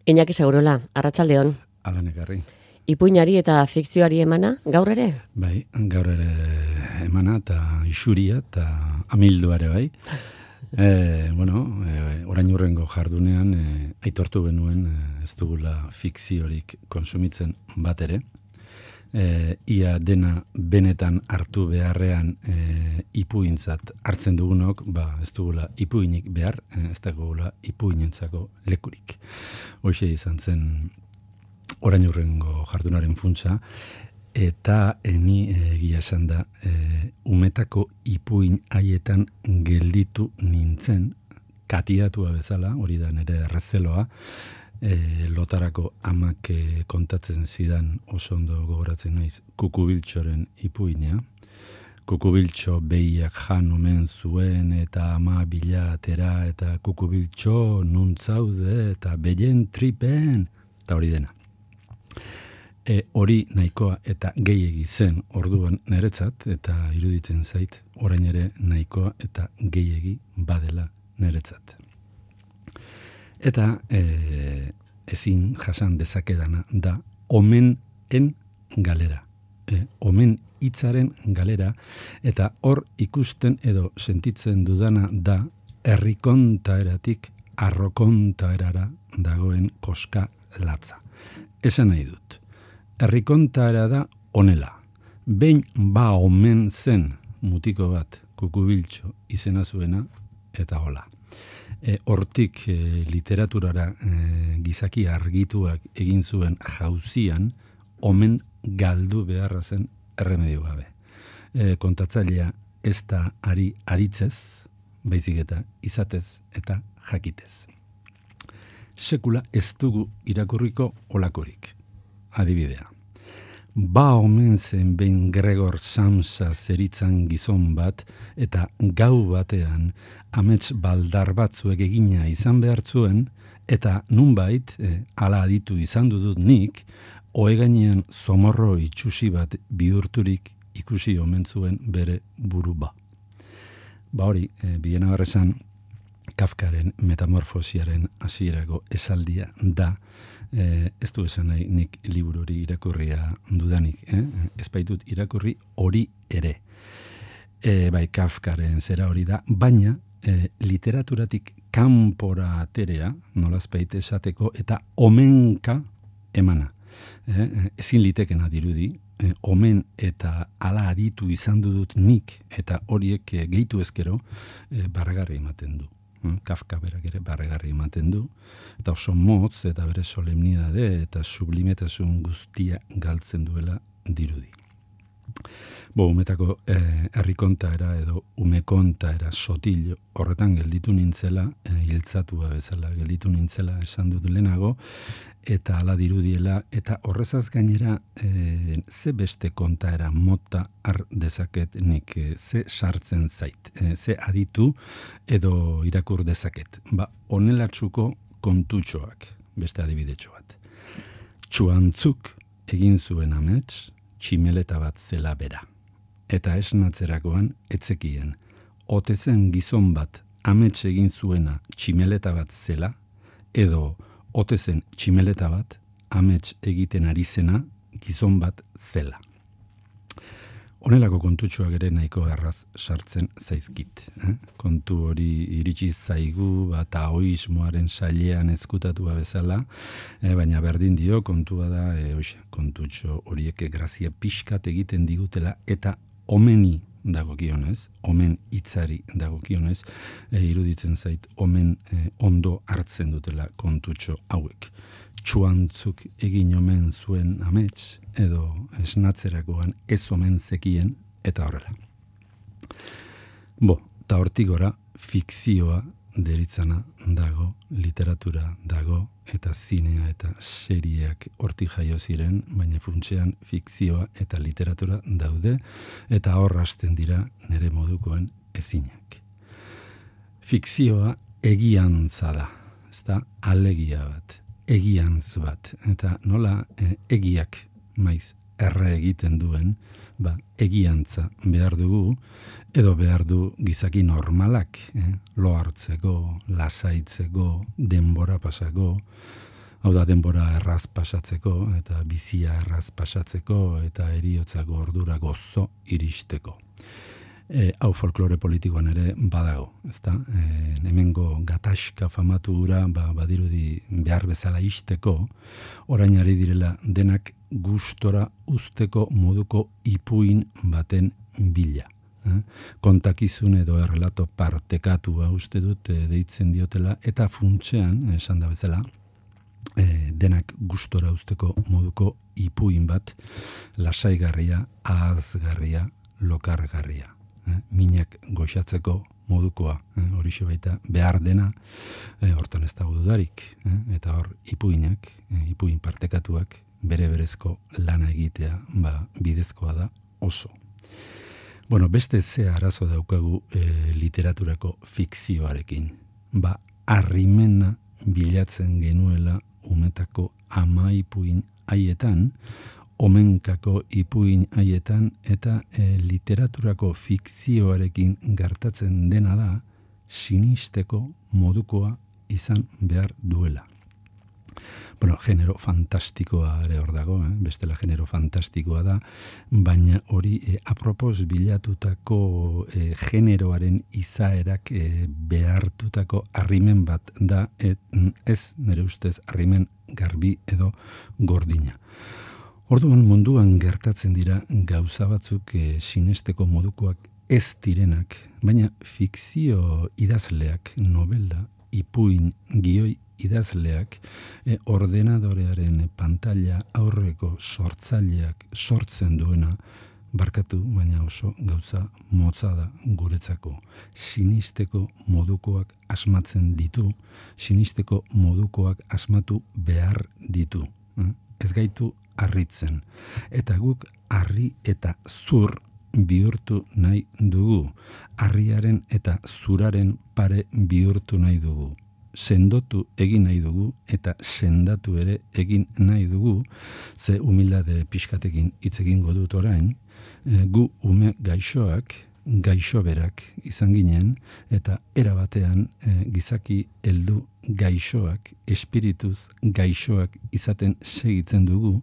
Iñaki Segurola, arratsaldeon. Alan ekarri. Ipuinari eta fikzioari emana, gaur ere? Bai, gaur ere emana eta isuria eta amilduare bai. Orain hurrengo jardunean aitortu benuen ez dugula fikziorik konsumitzen bat ere. Ia dena benetan hartu beharrean ipuintzat hartzen dugunok, ez dugula ipuinik behar, ez dugula ipuinentzako lekurik. Hoxe izan zen orain hurrengo jardunaren funtsa, eta ni egia esan da umetako ipuin haietan gelditu nintzen, katiatua bezala, hori da nire errezeloa, lotarako amak kontatzen zidan oso ondo gogoratzen naiz Kukubiltxoren ipuina. Kukubiltxo behiak jan omen zuen eta ama bilatera eta Kukubiltxo nuntzaude eta behien tripen, eta hori dena. Hori nahikoa eta gehiegi zen orduan niretzat, eta iruditzen zait orain ere nahikoa eta gehiegi badela niretzat. Eta ezin jasan dezakedana da omenen galera. Omen hitzaren galera, eta hor ikusten edo sentitzen dudana da herrikontaeratik arrokontaerara dagoen koska latza. Esan nahi dut. Herrikontaera da honela. Behin omen zen mutiko bat Kukubiltxo izena zuena, eta hola. Hortik literaturara gizaki argituak egin zuen jauzian, omen galdu beharra zen erremedio gabe. Kontatzailea ez da ari aditzez, baizik eta izatez eta jakitez. Sekula ez dugu irakurriko olakorik. Adibidea. Omen zen behin Gregor Samsa zeritzan gizon bat, eta gau batean amets baldar batzuek egina izan behar zuen, eta nunbait, ala aditu izan dudut nik, ohegainean zomorro itxusi bat bihurturik ikusi omen zuen bere buruba. Hori, biena barrezan, Kafkaren metamorfosiaren hasierako esaldia da, ez du esan nahi nik liburu hori irakurria dudanik, ez baitut irakurri hori ere. Bai, Kafkaren zera hori da, baina literaturatik kanpora aterea, nolazpait esateko, eta omenka emana. Ezin litekena dirudi, omen eta ala aditu izan dudut nik, eta horiek gehitu ezkero, barragarri ematen du. Kafka berak ere barregarri ematen du, eta oso motz eta bere solemnidade eta sublimetasun guztia galtzen duela dirudi. Umetako herrikontaera edo umekontaera sotil horretan gelditu nintzela, hiltzatua bezala gelditu nintzela esan dut lehenago, eta ala dirudiela, eta horrezaz gainera ze beste kontaera mota har dezaket nik, ze sartzen zait, ze aditu edo irakur dezaket. Honelatsuko kontutxoak, beste adibidetxo bat. Txuantzuk egin zuen amets, tximeleta bat zela bera. Eta esnatzerakoan etzekien, otezen gizon bat amets egin zuena tximeleta bat zela, edo otezen tximeleta bat amets egiten ari zena gizon bat zela. Honelako kontutxoak ere nahiko erraz sartzen zaizkit. Kontu hori iritsi zaigu taoismoaren sailean ezkutatua bezala, baina berdin dio kontua da kontutxo horiek grazia pixkat egiten digutela, eta omeni dagokionez, omen hitzari dagokionez, iruditzen zait omen ondo hartzen dutela kontutxo hauek. Txuantzuk egin omen zuen amets, edo esnatzerakoan ez omen zekien, eta horrela. Eta hortik gora, fikzioa deritzana dago, literatura dago, eta zinea eta serieak hortik jaio ziren, baina funtsean fikzioa eta literatura daude, eta hor hasten dira nire modukoen ezinak. Fikzioa egiantza da, ez da alegia bat, egiantz bat, eta nola egiak maiz erre egiten duen, egiantza behar dugu, edo behar du gizaki normalak, lo hartzeko, lasaitzeko, denbora pasako, Hau da, denbora erraz pasatzeko, eta bizia erraz pasatzeko, eta heriotzako ordura gozo iristeko. Hau folklore politikoan ere badago, ezta? Hemengo gatazka famatu hura, badirudi behar bezala isteko, orain ari direla denak gustora usteko moduko ipuin baten bila. Kontakizun edo errelato partekatua uste dut deitzen diotela, eta funtsean, esan da bezala, denak gustora usteko moduko ipuin bat, lasaigarria, ahazgarria, lokargarria. Minak goxatzeko modukoa, horixe baita behar dena, hortan ez dago dudarik, eta hor ipuinak, ipuin partekatuak, bere berezko lana egitea, bidezkoa da oso. Bueno, beste ze arazo daukagu literaturako fikzioarekin. Arrimena bilatzen genuela umetako ama ipuin haietan, omenkako ipuin haietan, eta literaturako fikzioarekin gertatzen dena da sinisteko modukoa izan behar duela. Bueno, genero fantastikoa ere hor dago, bestela genero fantastikoa da, baina hori apropos bilatutako generoaren izaerak behartutako arrimen bat da, ez nire ustez arrimen garbi edo gordina. Orduan munduan gertatzen dira gauza batzuk sinesteko modukoak ez direnak, baina fikzio idazleak, novela, ipuin, gioi idazleak, ordenadorearen pantalla aurreko sortzaileak sortzen duena, barkatu, baina oso gauza motza da guretzako. Sinisteko modukoak asmatzen ditu, sinisteko modukoak asmatu behar ditu. Ez gaitu harritzen. Eta guk harri eta zur bihurtu nahi dugu. Harriaren eta zuraren pare bihurtu nahi dugu. Sendotu egin nahi dugu eta sendatu ere egin nahi dugu, ze humildade pixkatekin hitz egingo dut orain, gu ume gaixoak, gaixoberak izan ginen, eta erabatean gizaki heldu gaixoak, espirituz gaixoak izaten segitzen dugu,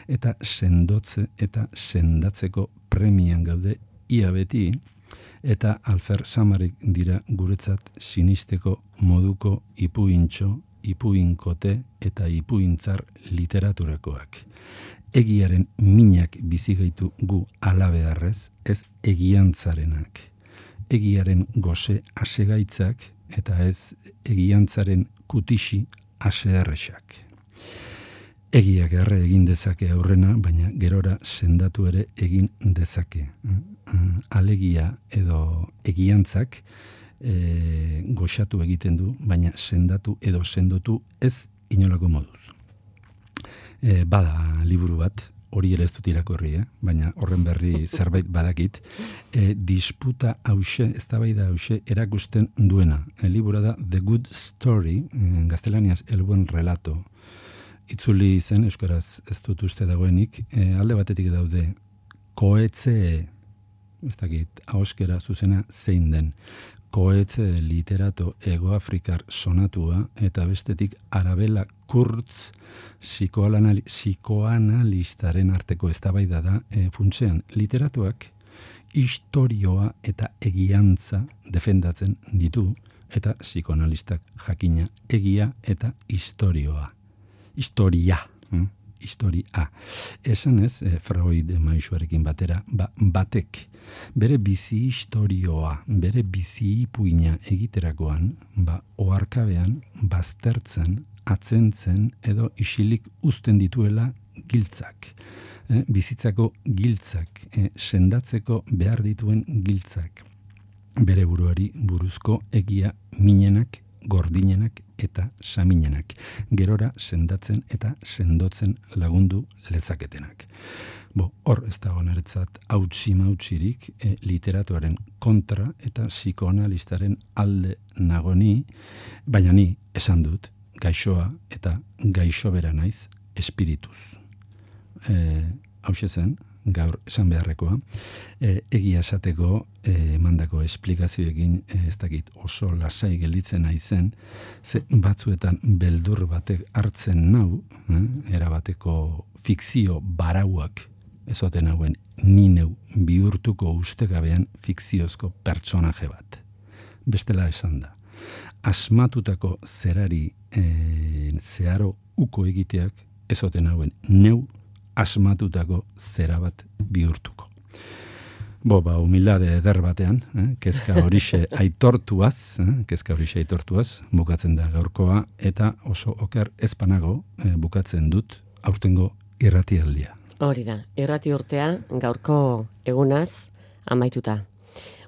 eta sendotze eta sendatzeko premian gaude ia beti, eta Alfer Samarik dira guretzat sinisteko moduko ipuintxo, ipuinkote eta ipuintzar literaturakoak. Egiaren minak bizigaitu gu alabeharrez, ez egiantzarenak. Egiaren goze asegaitzak eta ez egiantzaren kutixi aseerresak. Egiak erre egin dezake aurrena, baina gerora sendatu ere egin dezake. Alegia edo egiantzak goxatu egiten du, baina sendatu edo sendotu ez inolako moduz. Bada liburu bat, hori ere ez dut irakurri, baina horren berri zerbait badakit, disputa hause, eztabaida hause erakusten duena. Libura da The Good Story, gaztelaniaz el buen relato. Itzuli zen, euskaraz ez dut uste dagoenik, alde batetik daude koetze, ez dakit, ahoskera zuzena zein den, koetze literato egoafrikar sonatua, eta bestetik Arabella Kurtz psikoanalistaren arteko eztabaida da, funtsean literatuak istorioa eta egiantza defendatzen ditu, eta psikoanalistak jakina egia eta historia. Esan ez, Freud maisuarekin batera, batek bere bizi historioa, bere bizi ipuina egiterakoan, oharkabean, baztertzen, atzentzen edo isilik uzten dituela giltzak. Bizitzako giltzak, sendatzeko behar dituen giltzak. Bere buruari buruzko egia minenak, gordinenak eta saminenak. Gerora sendatzen eta sendotzen lagundu lezaketenak. Hor ez dago niretzat hautsi-mautsirik literatuaren kontra eta psikoanalistaren alde nagoni, baina ni esan dut gaixoa eta gaixobera naiz espirituz. Hauxe zen, gaur esan beharrekoa, egia esateko emandako esplikazioekin ez dakit oso lasai gelditzen naizen, ze batzuetan beldur batek hartzen nau, erabateko fikzio barauak ezoten hauen ni neu bihurtuko ustekabean fikziozko pertsonaje bat. Bestela esan da. Asmatutako zerari zeharo uko egiteak ezoten hauen neu asmatutako zera bat bihurtuko. Humildade eder batean, kezka horixe aitortuaz, bukatzen da gaurkoa, eta oso oker ezpanago bukatzen dut aurtengo irratialdia. Hori da, irrati urtea gaurko egunaz amaituta.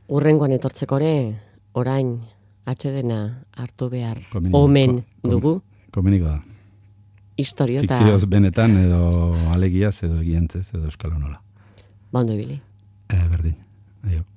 Urrengoan etortzekore, orain atsedena hartu behar omen dugu. Komeniko da. Historiota. Fikzioz benetan edo alegiaz edo egiantzez edo euskal honola. Ba ondo ibili. Berdin. Aio.